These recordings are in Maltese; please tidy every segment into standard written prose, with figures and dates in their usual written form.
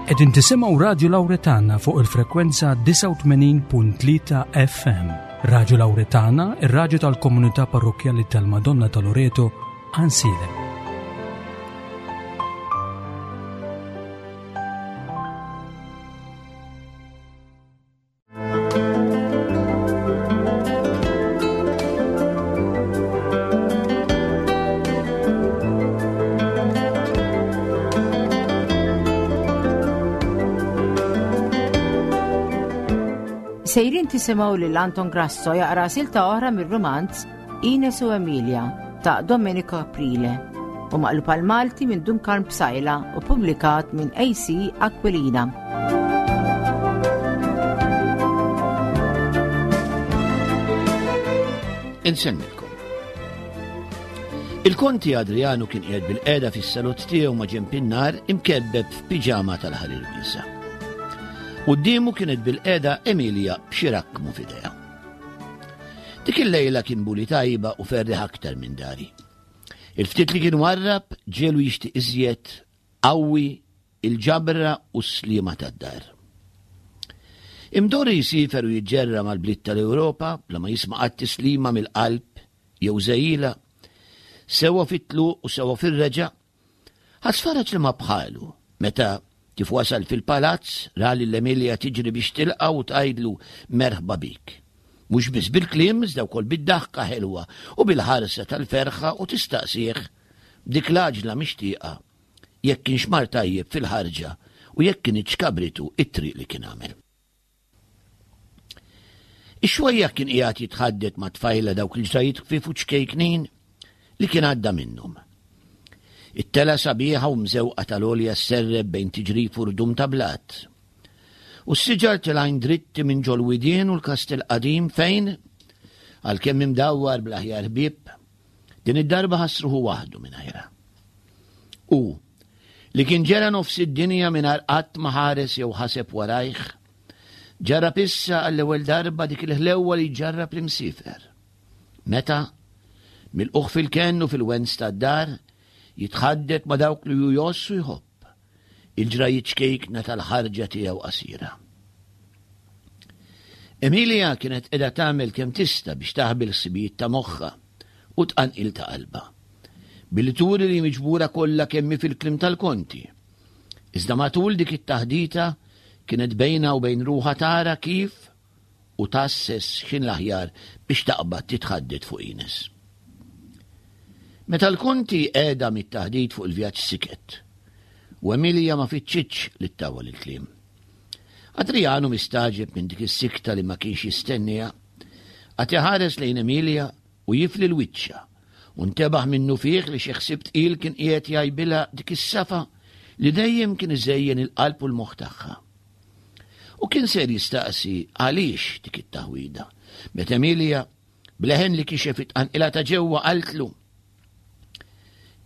Qegħdin tisimgħu Radju Lawretana fuq il-frekwenza 89.3 FM. Radju Lawretana, ir-radju tal-komunità parrokkjali tal-Madonna ta' Loreto, Ansilem. Sejrin tisimgħu lil Anton Grasso jaqra silta oħra mir-rumanz Ines u Emilia ta' Domenico Aprile u maqlub għal Malti minn Dun Karm Psaila u publikat minn AC Aquilina. Insemmilkom. Il-konti Adriano kien qiegħed bil-qeda fis-salott tiegħu ma' ġenb in-nar imkebbeb f'piġama tal-ħarir wiesa. Quddiemu kienet bil-qeda Emilia b'xi rakkmu f'idejha. Dik il-lejla kien buli tajba u ferriħ aktar minn dari. Il-ftit li kien warrab ġelu jixtieq iżjed qawwi il-ġabra u s-sliema tad-dar. Imdorri jsifer u jiġġerra mal-bliet tal-Ewropa bla ma jisma' qatt tislima mill-qalb jew żegħila, sewwa fit-tluq u sewwa fir-reġgħa, Ħass faraġ li ma bħalu meta kif wasal fil-palazz ra lil Emilia tiġri biex tilqgħu u tgħidlu merħba bik. Mhux biss bil-kliem iżda wkoll bid-daħka ħelwa u bil-ħarsa tal-ferħa u tistaqsih b'dik l-għaġla mixtieqa jekk kienx mar tajjeb fil-ħarġa u jekk kinitx kabritu t-triq li kien għamel. Ix-xwejjaħ kien qiegħed jitħaddet ma' tfajla dawk il-ġrajiet ħfief u ċkejknin li kien għadda minnhom. It-tela sabiħa u mżewqa tal-għolja sserreb bejn tiġrif u rdum ta' blat. U s-siġar tilgħin dritti minn ġol-widien u l-kastell qadim fejn, għalkemm imdawwar bl-aħjar ħbieb, din id-darba ħass ruħu waħdu mingħajrha. U, li kien ġera nofs id-dinja mingħajr qatt ma ħares jew ħaseb warajh, ġarrab issa għall-ewwel darba dik il-ħlewwa li jġarrab l-imsiefer. Meta, milqugħ fil-kenn u fil-wens tad-dar, jitħaddet ma' dawk li hu jgħożż u jħobb, il-ġrajiet ċkejkna tal-ħarġa tiegħu qasira. Emilia kienet qiegħda tagħmel kemm tista' biex taħbi l-ħsibijiet ta' moħħha u t-tqanqil ta' qalbha. Billi turi li miġbura kollha kemm hi fil-kliem tal-konti. Iżda matul dik it-taħdita kienet bejnha u bejn ruħha tara kif u tgħasses x'kien l-aħjar biex taqbad titħaddet fuq Ines. Meta l-konti qegħda mit-taħdit fuq il-vjaġġ siket, u Emilia ma fittxitx li ttawwal il-kliem. Adriano mistagħġeb minn dik is-sikta li ma kienx jistenniha, qagħad iħares lejn Emilia u jifli l-wiċċha, u ntebaħ minnufih li xi ħsieb tqil kien qiegħed jgħajbilha dik is-safa li dejjem kien iżejjen il-qalb u l-moħħ tagħha. U kien ser jistaqsi għaliex dik it-taħwida, meta Emilia, b'leħen li kixef it-tqanqila ta' ġewwa qaltlu,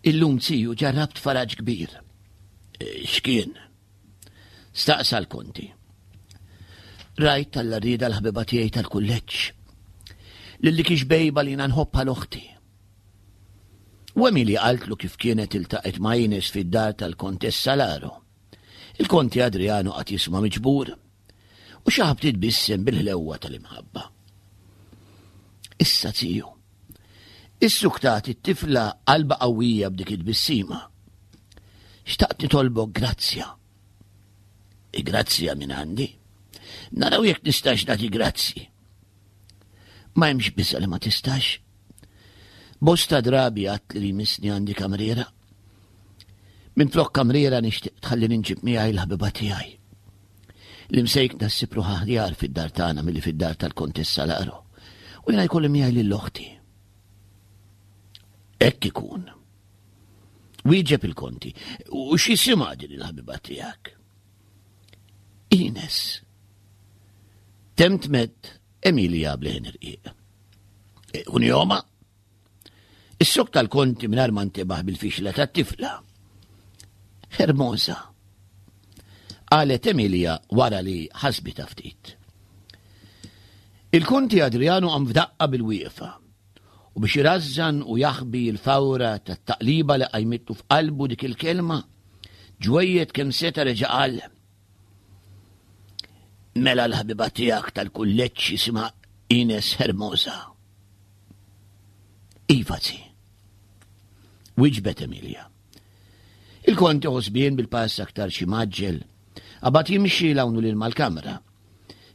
Illum ziju ġarrabt faraġ kbir. Eh, x'kien? Staqsa l-konti. Rajt tal-rieda l-ħbiba tiegħi tal-kulleġġ. Lil dik ix-xbejba li jiena nħobb bħal oħti. U Emilia qaltlu kif kienet iltaqgħet ma' Ines fid-dar tal-Kontessa Laro. Il-Konti Adriano qagħad jisma' miġbur u xi ħabt titbissem bil-ħlewwa tal-imħabba. Issa ziju, issuktat it-tifla qalba qawwija b'dik it-tbissima. Xtaqt nitolbok grazzja. Grazzja minn għandi. Naraw jekk nistax nagħti grazzi. Ma hemmx biża' li ma tistax. Bosta drabi għat li jmissni għandi kamriera. Minflok kamriera nixtieq tħallini nġib miegħi l-ħabiba tiegħi. L-imsejkna ssib ruħha aħjar fid-dar tagħna milli fid-dar tal-Kontessa Laro. U jiena jkolli miegħi lil oħti. Hekk ikun. Wieġeb il-konti. U x'jisimha din il-ħabiba tiegħek? Ines. Temtmet Emilia bleħen irqiq. E, Unjoma? Is-sok tal-konti mingħajr ma ntebaħ bil-fixla tat-tifla. Hermosa. Qalet Emilia wara li ħasbitha ftit. Il-konti Adriano qam f'daqqa bil-wieqfa u biex irażżan u jaħbi l-fawra tat-taqliba li qajmitlu f'qalbu dik il-kelma, ġwejjed kemm seta' reġa' qal. Mela l-ħabiba tiegħek tal-kulleġġ jisimha Ines Hermosa. Iva zi. Wiġbet Emilia. Il-konti ħosbien bil-pass aktar xi maġġel. Qabad jimxi 'l hawn u lil mal-kamra.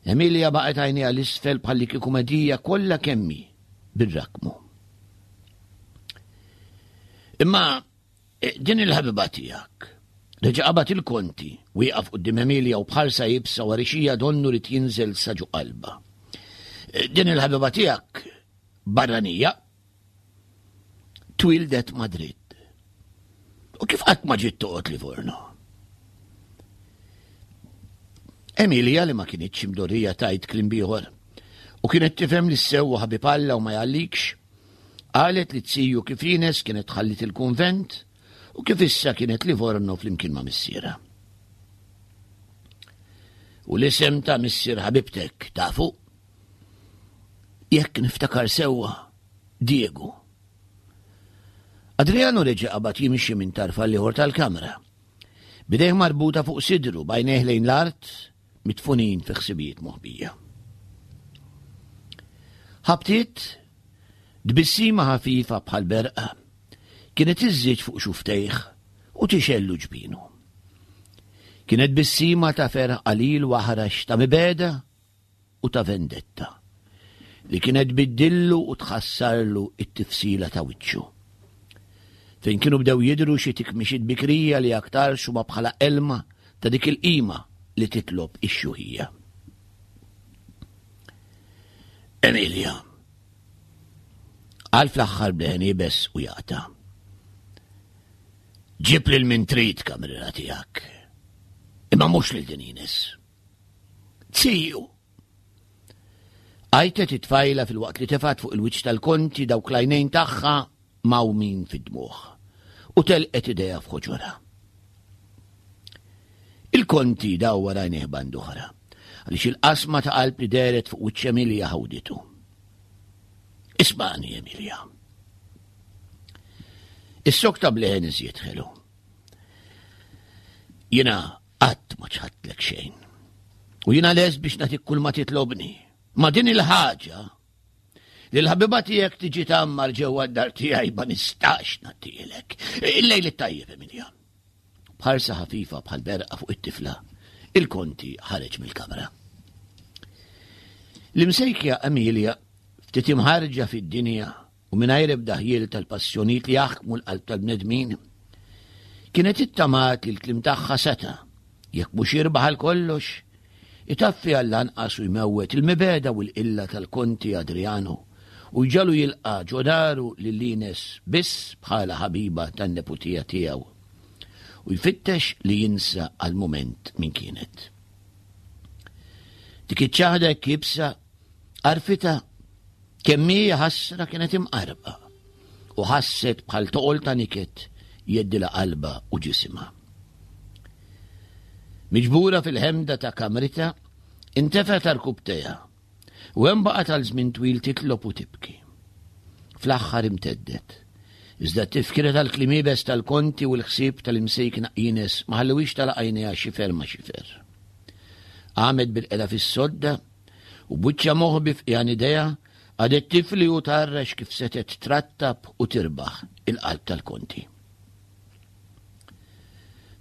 Emilia baqgħet għajnejha l-isfel bħalli kieku medija kollha kemmi bir-rakmu. Imma eh, din il-ħabiba tiegħek. Reġa' qabad il-konti, wieqaf quddiem Emilia u bħarsa jibsa warixija donnu rid jinżel sa ġo qalba. Eh, din il-ħabiba tiegħek barranija Twieldet Madrid. U kif qatt ma ġiet toqgħod Livorno? Emilia li ma kinitx imdorrija tajt kliem bieħor u kienet tifhem li s-sewwa ħabib Alla u ma jgħallikx, qalet li t-siju kif Ines kienet ħallit il-kunvent u kif issa kienet Livorno flimkien ma' missiera. U l-isem ta' missier ħabibtek tafu? Jekk niftakar sewwa, Diego. Adriano reġa' qabad jimxi minn tarf għall-ieħor tal-kamra. Bidejh marbuta fuq sidru, b'għajnejh lejn l-art, mitfunin fi ħsibijiet moħbija. Ħabtiet, tbissima ħafifa bħal berqa, kienet iżżid fuq xuftejh u tixellu ġbinu. Kienet tbissima ta' ferħ qalil u aħrax ta' mibegħda u ta' vendetta, li kienet tbiddillu u tħassarlu t-tifsila ta' wiċċu. Fejn kienu bdew jidhru xi tikmixiet bikrija li aktarx huma bħala elma ta' dik il-qima li titlob ix-xjuħija. Emilia. Qal fl-aħħar b'leħen iebes u jaqta'. Ġib lil min trid kamrera tiegħek. Imma mhux lil din Ines. Ziju! Għajtet it-tfajla filwaqt li tefgħet fuq il-wiċċ tal-konti dawk l-għajnejn tagħha mgħawmin fid-dmugħ u telqet idejha f'ħoġorha. Il-konti dawwar għajnejh band'oħra, għaliex il-qasma ta' qalb li dehret fuq wiċċ Emilia ħawditu. Ismagħni, Emilia. Is-sokta bleħen iżjed ħelu. Jiena Qatt ma ċħadtlek xejn. U jiena lest biex nagħtik kull ma titlobni. Ma din il-ħaġa li l-ħabiba tiegħek tiġi tgħammar ġewwa d-dar tiegħi ma nistax nagħtielek. Il-lejl it-tajjeb, Emilia. B'ħarsa ħafifa bħal berqa fuq it-tifla, il-konti ħareġ mill-kamra. L-imsejkja Emilia ftit imħarġa fid-dinja u mingħajr ebda ħjiel tal-passjonijiet li jaħkmu l-qalb tal-bnedmin, kienet ittamat li l-kliem tagħha seta', jekk mhux jirbaħ għal kollox, itaffi għall-anqas u jmewwet il-mibegħda u l-qilla tal-Konti Adriano u jġagħlu jilqa' ġo daru lil Ines biss bħala ħabiba tan-neputija tiegħu u jfittex li jinsa għal mument min kienet. Dik iċ-ċaħda hekk iebsa għarfitha Kemm hi ħasra kienet imqarrqa u ħasset bħal toqol ta' niket jgħeddilha qalbha u ġisimha. Miġbura fil-ħemda ta' kamritha, intefgħet għarkubbtejha u hemm baqgħet għal żmien twil titlob u tibki. Fl-aħħar imteddet. Iżda t-tifkira tal-kliem iebes tal-konti u l-ħsieb tal-imsejkna Ines ma ħallewhiex tagħlaq għajnejha xifer ma' xifer. Qamet bil-qeda fis-sodda U b'wiċċha moħbi f'qiegħan idejha, qagħdet tifli u tgħarrex kif setgħet trattab u tirbaħ il-qalb tal-Konti.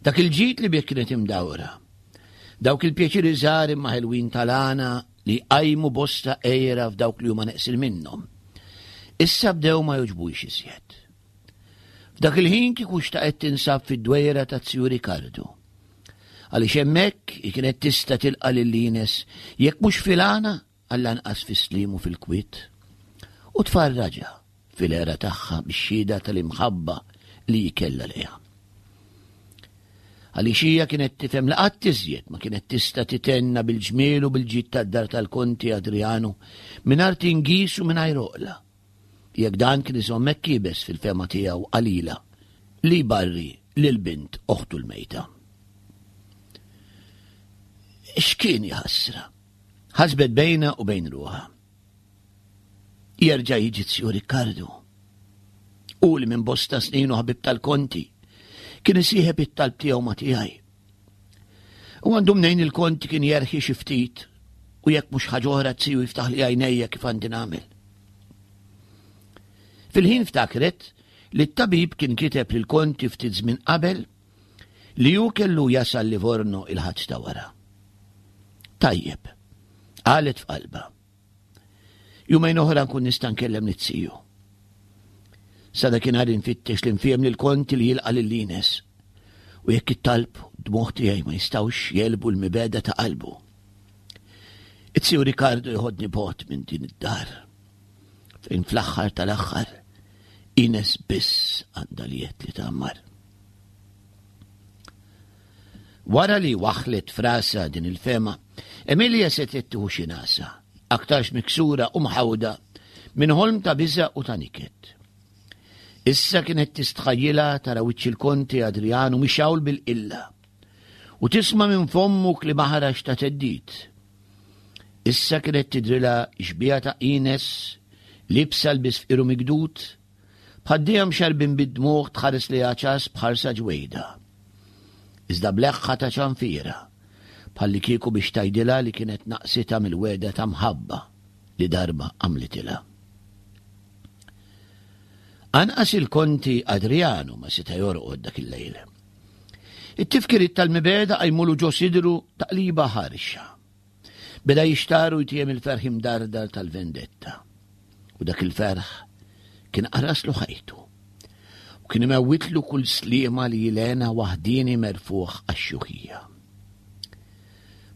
Dak il-ġid li bih kienet imdawra, dawk il-pjaċiri żgħar imma ħelwin tal-għana li jqajmu bosta għira f'dawk li huma neqsin minnhom, issa bdew ma jogħġbuhiex iżjed. F'dak il-ħin kieku xtaqet tinsab fid-dwejra ta' Zju Rikardu. Għaliex hemmhekk hi kienet tista' tilqa' lil Ines jekk mhux fil-għana għall-anqas fis-sliem u fil-kwiet. U tfarraġha fil-għera tagħha bix-xhieda tal-imħabba li hi kellha lejha. Għaliex hija kienet tifhem li qatt iżjed ma kienet tista' titenna bil-ġmiel u bil-ġid tad-dar tal-Konti Adriano mingħajr tingiż u mingħajr għoqla. Jekk dan kien iżomm hekk iebes fil-fehma tiegħu qalilha li jbarri lil bint oħtu l-mejta. X'kien jaħasra? Ħasbet bejnha u bejn ruħha. Jerġa' jiġi Zju Rikkardu. U li minn bosta snin u ħabib tal-konti kien isieħeb it-talb tiegħu ma' tiegħi. U għandu mnejn il-konti kien jerħi xi ftit u jekk mhux ħaġa oħra t-siju jiftaħ li għajnejja kif għandi nagħmel. Fil-ħin ftakret li t-tabib kien kiteb lil konti ftit żmien qabel li hu kellu jasal Livorno il-ħadd ta' wara. Tajjeb, qalet f'qalba. Jumejn oħra nkun nista' nkellem lit-siju. Sa dakinhar infittex li nfiem lil konti li jilqa' lil Ines. U jekk it-talb dmuħ tiegħi ma jistgħux jelbu l-mibeda ta' qalbu. It-siju Ricardo jħodni bot minn din id-dar. Fejn fl-aħħar tal-aħħar Ines biss għandha li li tgħammar. Wara li waħħlet f'rasha din il-fehma, Emilia setgħet tieħu xi nagħsa, aktarx miksura u mħawda minn ħolm ta' biża' u ta' niket. Issa kienet tistħajjilha tara wiċċ il-Konti Adrianu mixgħul bil-qilla u tisma' minn fommu kliem aħrax ta' theddid. Issa kienet tidrilha xbieha ta' Ines liebsa lbies fqir u mikdud, Bħad-dija mxerrbin bid-dmugħ tħares lejha ċass b'ħarsa ġwejda. Iżda b'leħħa ta' ċanfira, bħallikieku biex tgħidilha li kienet naqsitha mill-wegħda ta' mħabba li darba għamlitilha. Anqas il-Konti Adrianu ma seta' jorqod dak il-lejl. It-tifkiriet tal-mibegħda qajmulu ġo sidru taqliba ħarxa. Beda jixtar u jtiem il-ferħ imdardar tal-vendetta. U dak il-ferħ kien qaraslu ħajtu. U kien imewwitlu kull sliema li jilena waħdieni merfugħ għax-xjuħija.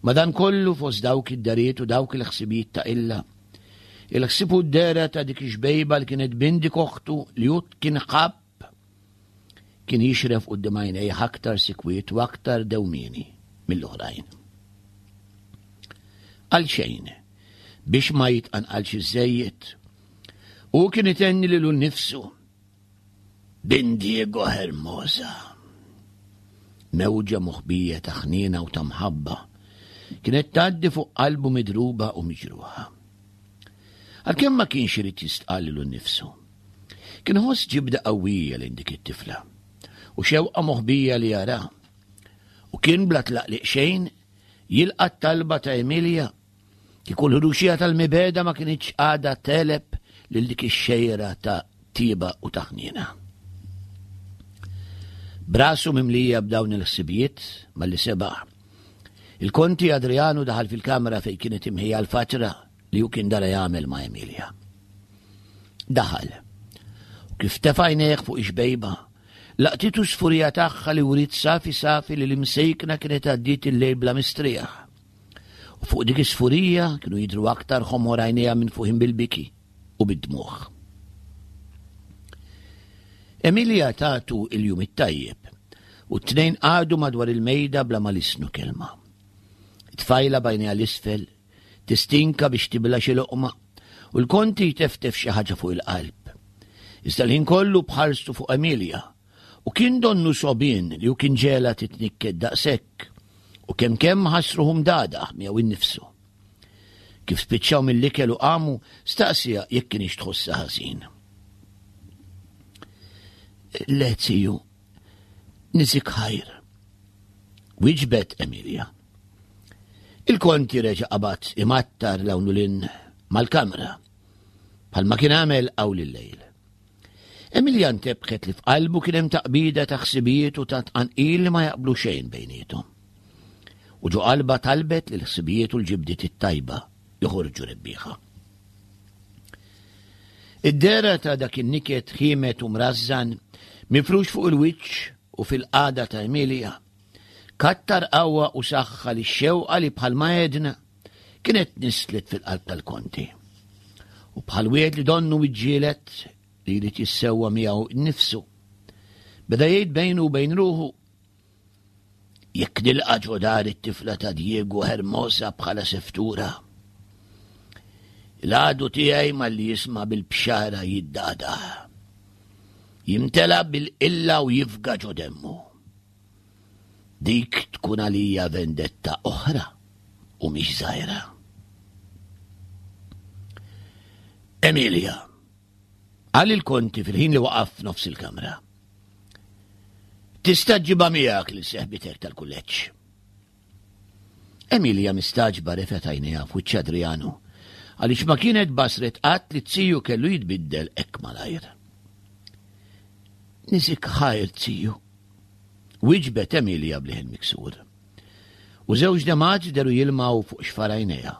Madankollu fost dawk id-dariet u dawk il-ħsibijiet ta' illa, il-ħsieb u d-dehra ta' dik ix-xbejba li kienet bindik oħtu li hu kien ħabb Kien jixref quddiem għajnejh aktar sikwiet u aktar dewmieni mill-oħrajn. Għalxejn, biex ma jitqanqalx iżżejjed, hu kien itenni lilu nnifsu, Bin Diego Hermosa. Mewġa moħbija ta' ħniena u ta' mħabba kienet tgħaddi fuq qalbu midruba u miġruħa. Għalkemm ma kienx irid jistqal lilu nnifsu. Kien iħoss ġibda qawwija lejn dik it-tifla u xewqa moħbija li jara. U kien bla tlaqliq xejn jilqa' t-talba ta' Emilia kieku l-ħruxija tal-mibegħda ma kinitx għadha tegħleb lil dik ix-xejra ta' tieba u ta' ħniena. Brasu mimlija b'dawn il-ħsibijiet malli sebaħ. Il-Konti Adrianu daħal fil-kamra fejn kienet imħejja l-fatra li hu kien dara jagħmel ma' Emilia. Daħal. U kif tefa' għajnejh fuq ix-xbejba, laqtitu s-sfurija tagħha li wriet safi safi li l-imsejkna kienet għaddiet il-lejl bla mistrieħ. U fuq dik is-sfurija kienu jidhru aktar ħomor għajnejha minfuħin bil-biki u bid-dmugħ. Emilia tatu il-jum it-tajjeb u t-tnejn qagħdu madwar il-mejda bla ma lissnu kelma. It-tfajla b'għajnejha l-isfel Tistinka biex tibla' xi loqma u l-Konti jteftef xi ħaġa fuq il-qalb. Iżda l-ħin kollu b'ħarstu fuq Emilia u kien donnu sogħbien li hu kien ġegħla titnikket daqshekk u kemm kemm ħass ruħu mdagħdagħ miegħu innifsu. Kif spiċċaw mill-ikel u qamu, staqsiha jekk kinitx tħossha ħażin. Le, ziju, Niżik ħajr. Wieġbet Emilia. Il-konti reġa' qabad imattar 'l hawn u 'l hinn mal-kamra, bħalma kien għamel hawn il-lejl. Emilia ntebħet li f'qalbu kien hemm taqbida ta' ħsibijiet u ta' tqanqil li ma jaqblu xejn bejniethom. U ġo qalbha talbet li l-ħsibijiet u l-ġibdiet it-tajba joħorġu rebbieħa. Id-dehra ta' dak in-niket ħiemed u mrażżan mifrux fuq il-wiċċ u fil-qagħda ta' Emilia, kattar qawwa u saħħa lix-xewqa li bħalma għedna kienet tnisslet fil-qalb tal-Konti. U bħal wieħed li donnu iġġieled li jrid jissewwa miegħu nnifsu, beda jgħid bejnu u bejn ruħu Jekk nilqa' ġo dar it-tifla ta' Diego Hermosa bħala seftura, l-għadu tiegħi malli jisma' bil-bxara jiddagħdagħ. Jimtela bil-qilla u jifga ġo demmu. Dik tkun għalija vendetta oħra u mhix żgħira. Emilia, qal il-konti fil-ħin li waqaf f'nofs il-kamra. Tista' ġġibha miegħek lil seħbitek tal-kulleġġ. Emilia mistagħġba refgħet għajnejha f'wiċċ Adriano, għaliex ma kienet basret qatt li t-ziju kellu jitbiddel hekk malajr. Niżik ħajr, ziju, wieġbet Emilia b'leħen miksur. U żewġ demgħat deru jilmaw fuq xfar għajnejha.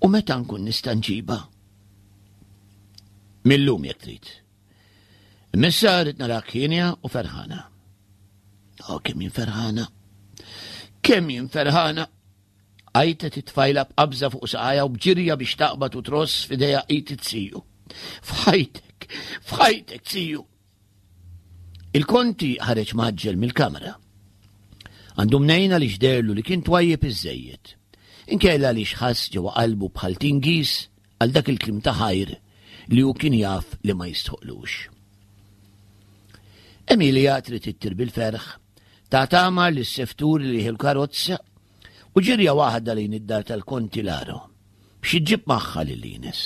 U meta nkun nista' nġibha? Mil-lum jekk trid. Imma rrid narak hienja u ferħana. Oh, kemm jien ferħana! Kemm jien ferħana! Għajtet it-tfajla b'qabża fuq saqajha u b'ġirja biex taqbad u tross f'idejha id it-siju. F'ħajtek! F'ħajtek, siju! Il-konti ħareġ mgħaġġel mill-kamra. Għandu mnejn għaliex deherlu li kien twajjeb iżżejjed. Inkella għaliex ħass ġewwa qalbu bħal tingiż għal dak il-kliem ta' ħajr li hu kien jaf li ma jistħoqlux. Emilia trid ittir bil-ferħ, ta' tagħmar lis seftur li l-karozza u ġirja waħda lejn id-dar tal-Konti Laro biex iġġib magħha lil Ines.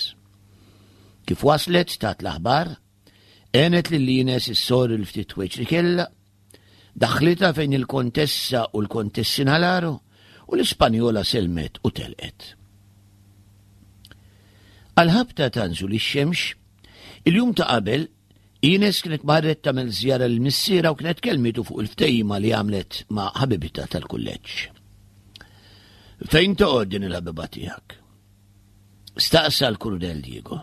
Kif waslet tat l-aħbar, għenet lil Ines issorr il-ftit ħwejġ li kellha, daħħlitha fejn il-Kontessa u l-Kontessina Laro u l-Ispanjola sellmet u telqet. Għall-ħabta ta' nżul ix-xemx, il-jum ta' qabel, Ines kienet marret tagħmel żjara lil missierha u kienet kellmitu fuq il-ftehima li għamlet ma' ħabibitha tal-kulleġġ. Fejn toqgħod din il-ħabiba tiegħek? Staqsa l-Kurunell Diego.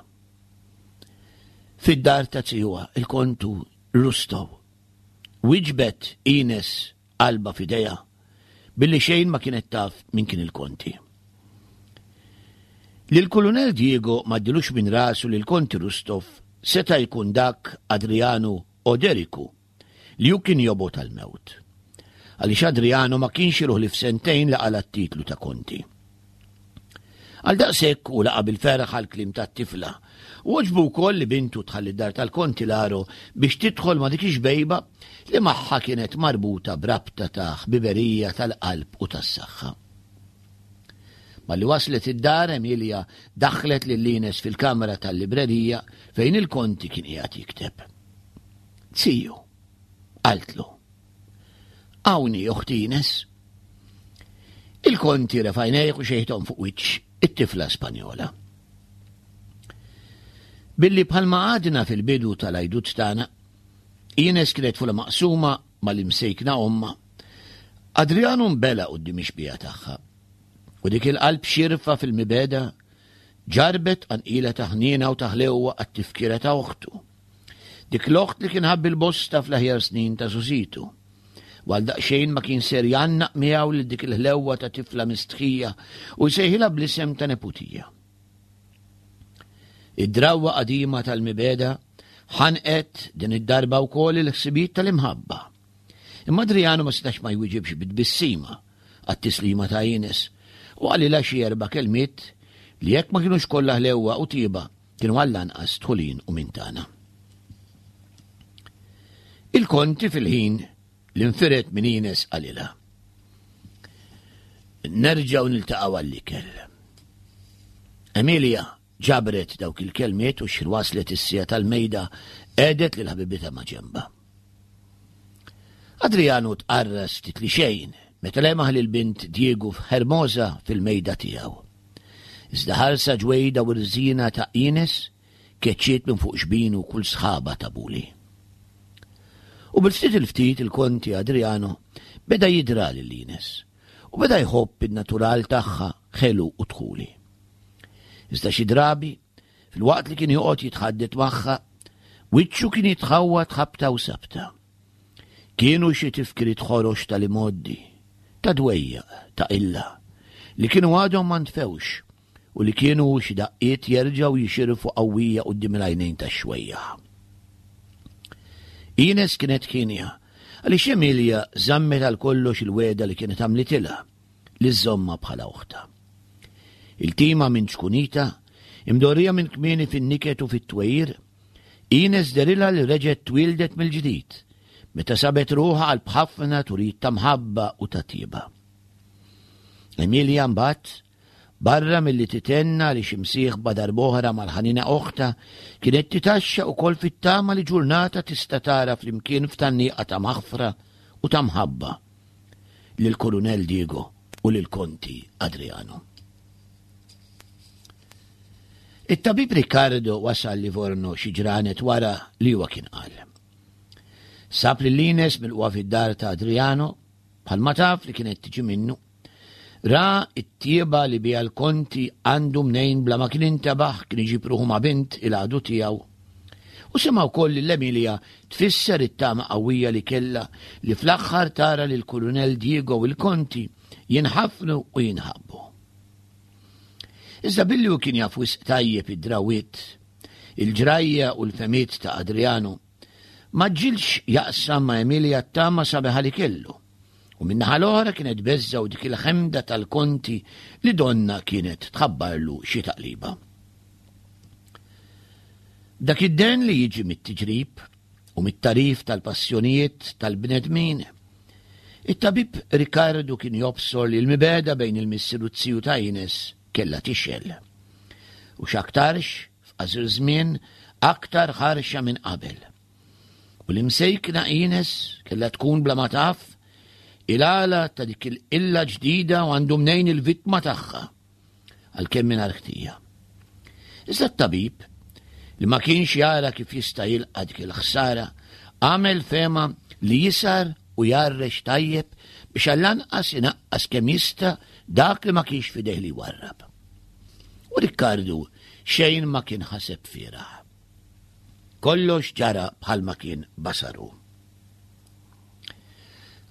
Fid-dar ta' zijuha, il-Kontu Rustov. Wieġbet Ines qalbha f'idejha, billi xejn ma kienet taf min kien il-Konti. Lill-Kulunell Diego m'għaddilux minn rasu li l-Konti Rustov seta' jkun dak Adriano Oderiku li hu kien jobgħod għall-mewt. Għaliex Adriano ma kienx iruħ li f'sentejn li qala' t-titlu ta' konti. Għal daqshekk hu laqa' bil-ferħ għall-kliem tat-tifla u għoġbu wkoll li bintu tħalli d-dar tal-Konti Laro biex tidħol ma' dik ix-xbejba li magħha kienet marbuta b'rabta ta' ħbiberija tal-qalb u tas-saħħa. Malli waslet id-dar, Emilia daħħlet lil Ines fil-kamra tal-librerija fejn il-Konti kien qiegħed jikteb. Ziju, qaltlu. Hawn hi oħti Ines. Il-Konti refa' għajnejh u xejħithom fuq wiċċ it-tifla Spanjola. Billi bħalma għadna fil-bidu tal-għajdut tagħna, Ines kienet fula maqsuma mal-imsejkna ommha, Adriano nbela' quddiem ix-xbieha tagħha. U dik il-qalb xierfa fil-mibegħda ġarrbet tqanqila ta' ħniena u ta' ħlewwa għat-tifkira ta' oħtu. Dik l-oħt li kien ħabb il-bosta fl-aħjar snin ta' żgħożitu. U għal daqsxejn ma kien ser jgħannaq miegħu lil dik il-ħlewwa ta' tifla mistħija u jsejħilha bl-isem ta' neputija. Id-drawwa qadima tal-mibegħda ħanqet din id-darba wkoll il-ħsibijiet tal-imħabba. Imma Adriano ma setax ma jwiġibx bi tbissima għat-tislima ta' Ines u qalilha xi erba' kelmiet li jekk ma kinux kollha ħlewwa u tjieba kienu għall-anqas dħulin u minn tagħna. Il-konti fil-ħin li nfired minn Ines qalilha. Nerġgħu niltaqgħu għall-ikel. Emilia ġabret dawk il-kelmiet u x'ħin waslet is-siegħa tal-mejda qegħdet lil ħabibitha ma' ġenbha. Adriano tqarras ftit li xejn meta lemaħ lil bint Diego f'Hermosa fil-mejda tiegħu. Iżda ħarsa ġwejda u rżina ta' Ines keċċiet minn fuq xbinu kull sħaba ta' buli. U bil-ftit il-ftit il-Konti Adriano beda jidra lil Ines u beda jħobb in-natural tagħha ħelu u dħuli. Iżda xi drabi, filwaqt li kien joqgħod jitħaddet magħha, wiċċu kien jitħawwad ħabta u sabta. Kienu xi tifkiriet ħorox tal-imgħoddi, ta' dwejjaq, ta' qilla, li kienu għadhom ma ntfewx u li kienu xi daqqiet jerġgħu jixirfu qawwija quddiem il-għajnejn tax-xwejjaħ. Ines kienet hienja għaliex Emilia żammet għal kollox il-wegħda li kienet għamlitilha li żżommha bħala oħtha. Iltima minn ċkunitha, imdorrija minn kmieni fin-niket u fit-twejjir, Ines dehrilha li reġgħet twieldet mill-ġdid, meta sabet ruħha qalb ħafna turijiet ta' mħabba u ta' tjieba. Emilia mbagħad, barra milli tithenna għaliex imsieħba darb'oħra mal-ħanina oħtha, kienet titgħaxxaq ukoll fit-tama li ġurnata tista' tara flimkien f'tgħanniqa ta' maħfra u ta' mħabba lill-Kurunell Diego. u lill-Konti Adriano. It-tabib Riccardo wasal Livorno xi ġranet wara li huwa kien qal. Sab lil Ines milqugħa fid-dar ta' Adriano, bħalma taf li kienet tiġi minnu. Ra t-tjieba li biha l-Konti għandu mnejn bla ma kien intebaħ kien iġib ruħu ma' bint il-għadu tiegħu. U sema' wkoll lil Emilia tfisser it-tama qawwija li kellha li fl-aħħar tara lill-Kurunell Diego u l-Konti jinħafnu u jinħabbu. Iżda billi hu kien jaf wisq tajjeb id-drawwiet, il-ġrajja u l-fehmiet ta' Adriano, M'għaġġilx jaqsam ma' Emilia t-tama sabiħa li kellu, u min-naħa l-oħra kienet beżżgħu dik il-ħemda tal-konti li donnha kienet tħabbarlu xi taqliba. Dak id-dehen li jiġi mit-tiġrib u mit-tagħrif tal-passjonijiet tal-bnedmin, it-tabib Riccardo kien jobsor li l-mibegħda bejn il-missier u t-ziju ta' Ines kellha tixgħel. U x'aktarx f'qasir żmien aktar ħarxa minn qabel. U l-imsejkna Ines kellha tkun bla ma taf il-għala ta' dik il-qilla ġdida u għandu mnejn il-vittma tagħha, għalkemm mingħajr ħtija. Iżda t-tabib, li ma kienx jara kif jista' jilqa' dik il-ħsara, għamel fehma li jisar u jgħarrex tajjeb biex għall-anqas inaqqas kemm jista' dak li ma kienx f'idejh li jwarrab. U Rikkardu xejn ma kien ħaseb fieragħ. Kollox ġara bħalma kien basaru.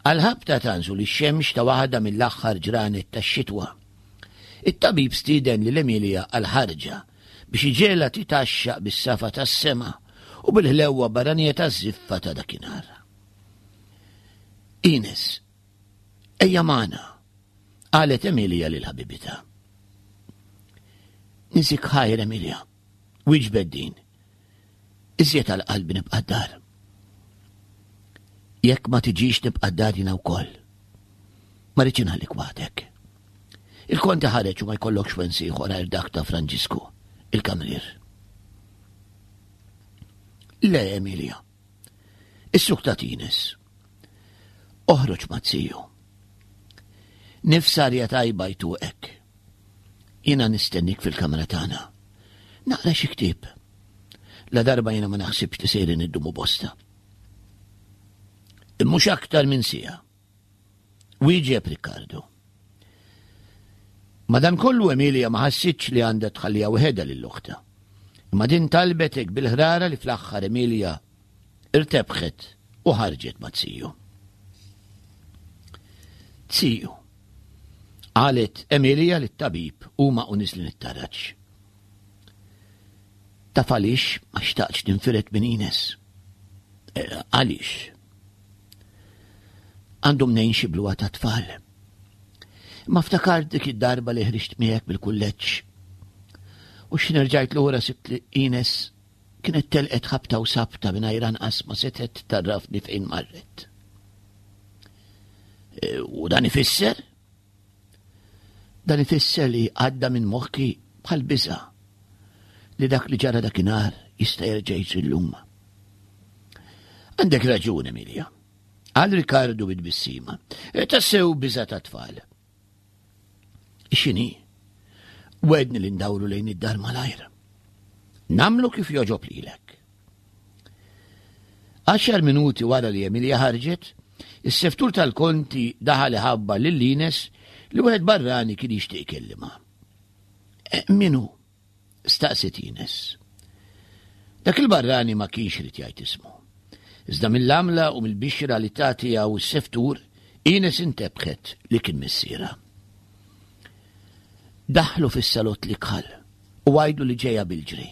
Għal-ħabta ta' nżul ix-xemx ta' waħda mill-aħħar ġranet tax-xitwa, it-tabib stieden lil Emilia għal ħarġa biex iġegħelha titgħaxxaq bis-safa tas-sema u bil-ħlewwa barranija taż-żiffa ta' dakinhar. Ines, ejja magħna, qalet Emilia lil ħabibitha. Niżik ħajr Emilia, wieġbet din. Iżjed għal qalbi nibqa' d-dar. Jekk ma tiġix nibqa' d-dar jiena wkoll. Ma rridx inħallik waħdek. Il-konti ħareġ u ma jkollokx wens ieħor għajr dak ta' Franġisku, il-kamrier. Le, Emilia. Is-suk ta' Tines. Oħroġ ma' ziju. Nifs arja tajba jtuqek. Jiena nistennik fil-kamra tagħna. Naqra xi ktieb. La darba jiena ma naħsibx li sejrin iddumu bosta. Mhux aktar minn siegħa. Wieġeb Riccardo. Madankollu Emilia ma ħassitx li għandha tħalliha waħedha lil oħtha. Imma din talbet hekk bil-ħrara li fl-aħħar Emilia irtebħet u ħarġet ma' ziju. Ziju, qalet Emilia lit-tabib huma u niżlin it-taraġ. Taf għaliex ma xtaqtx ninfired minn Ines? Eh, għaliex? Għandu mnejn xi bluha ta' tfal. Ma ftakart dik id-darba li ħriġt miegħek bil-kulleġġ. U x'ħin rġajt lura sibt li Ines kienet telqet ħabta u sabta mingħajr anqas ma setgħet tarrafni fejn marret. E, u dan ifisser? Dan ifisser li għadda minn moħħi bħal biża' li dak li ġara dakinhar jista' jerġa' jiġri llum. Għandek raġun, Emilia. Qal Ricardo bi tbissima. E, tassew biża' ta' tfal. X'inhi? Wedni li ndawru lejn id-dar malajr. Namlu kif joġob lilek. Għaxar minuti wara li Emilia ħarġet, is-seftur tal-konti daħal iħabbar lil Ines li wieħed barrani kien jixtieq ikellimha. E, min hu? staqsiet Ines. Dak il-barrani ma kienx irid jgħid ismu. Iżda mill-għamla u mill-bixra li ta tiegħu s-seftur, Ines intebħet li kien missierha. Daħħlu fis-salott l-ikħal u għidlu li ġejja bil-ġri.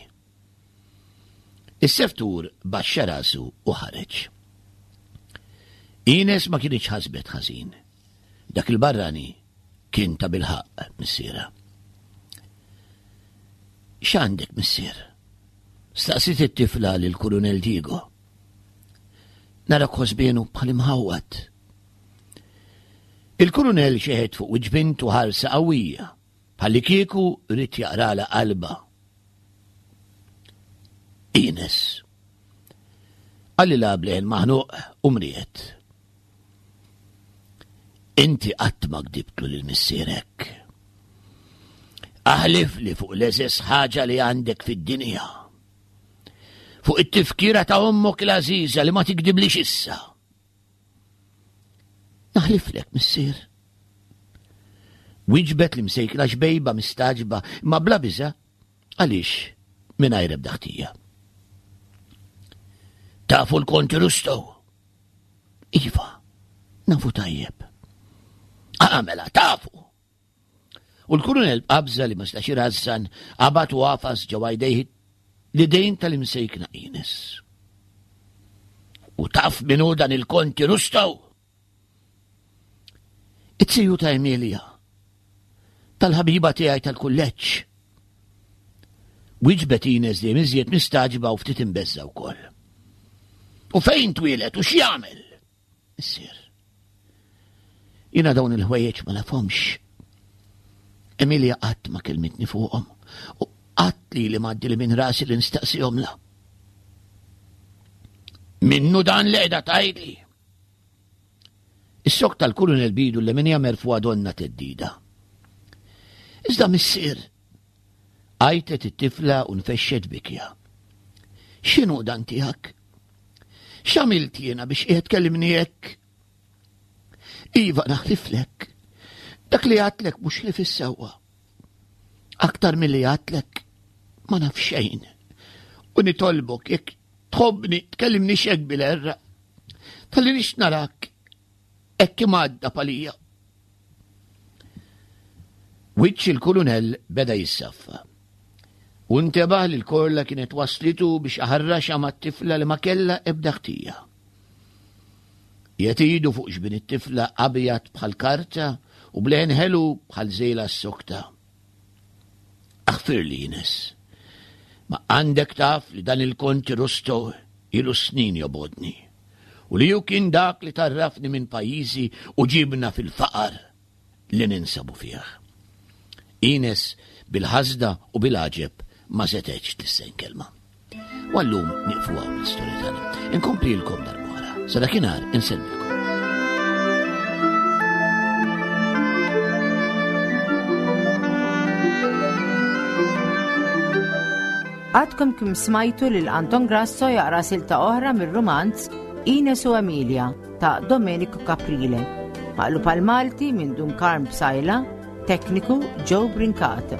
Is-seftur baxxa rasu u ħareġ. Ines ma kinitx ħasbet ħażin. Dak il-barrani kien tabilħaqq missierha. X'għandek, missier? Staqsiet it-tifla lill-Kurunell Diego. Narak ħosbienu bħal imħawwad. Il-Kurunell xeħet fuq wiċċ bintu ħarsa qawwija, bħallikieku ried jaqralha qalbha. Ines. Qalilha b'leħen maħnuq u mriegħed. Inti qatt ma gdibtlu lil missierek. Aħlif li fuq l-eżes ħaġa li għandek fid-dinja. Fuq it-tifkira ta' ommok l-għażiża li ma tikdiblix issa. Naħliflek, missier. Wieġbet li msejkna xbejba mistaġba imma bla biża' għaliex mingħajr ebda ħtija. Tafu l-Konti Rustow? Iva, nafu tajjeb. Għamela, tafu! U l-kurunel b'qabża li ma stax irażżan qabad u għafas ġewwa jdejh l-idejn tal-imsejkna Ines. U taf min hu dan il-Konti Rustow? It-tiju ta' Emilia, tal-ħabiba tiegħi tal-kulleġġ. Wieġbet Ines dejjem iżjed mistaġba u ftit imbeżża wkoll. U fejn twieled u x'jagħmel? Missier. Jiena dawn il-ħwejjeġ ma nafhomx. Emilia qatt ma kelmitni fuqhom u qatt li li m'għaddi li minn rasi li nistaqsihomla. Minnu dan li qiegħda tgħidli. Is-sok tal-kulunel bidu li minja merfuha donna teddida. Iżda missier, għajtet it-tifla u nfexxet bikja. X'inhu dan tiegħek? X'għamilt jiena biex qiegħed kellimni hekk? Iva naħliflek. Dak li għatlek mhux li fis-sewwa. Aktar milli għatlek ma naf xejn. U nitolbok jekk tħobbni tkellimni xek bil-erra. Talli nix narak hekk imgħadda palija. Wiċċ il-kulunell beda jissaffa. U ntebaħ li l-korla kienet waslitu biex aħarraxha mat-tifla li ma kellha ebda ħtija. Qiegħed idu fuq xbin it-tifla abjad bħal karta u bleħen ħelu bħal żejla s-sokta. Aħfirli Ines. Ma għandek taf li dan il-Konti Rusto ilu snin jobgħodni. U li hu kien dak li tarrafni minn pajjiżi u ġibna fil-faqar li ninsabu fih. Ines bil-ħasda u bil-għaġeb ma setgħetx tlissen kelma. U għallum nieqfu hawn l-istorja tagħna. Inkomplilkom darb'oħra. Sa dakinhar insellmilkom. Għadkom kim smajtu lil Anton Grasso jaqra silta oħra mir-rumanz Ines u Emilia ta' Domenico Caprile. Maqlub għal Malti minn Dun Karm Psaila, tekniku Joe Brincat.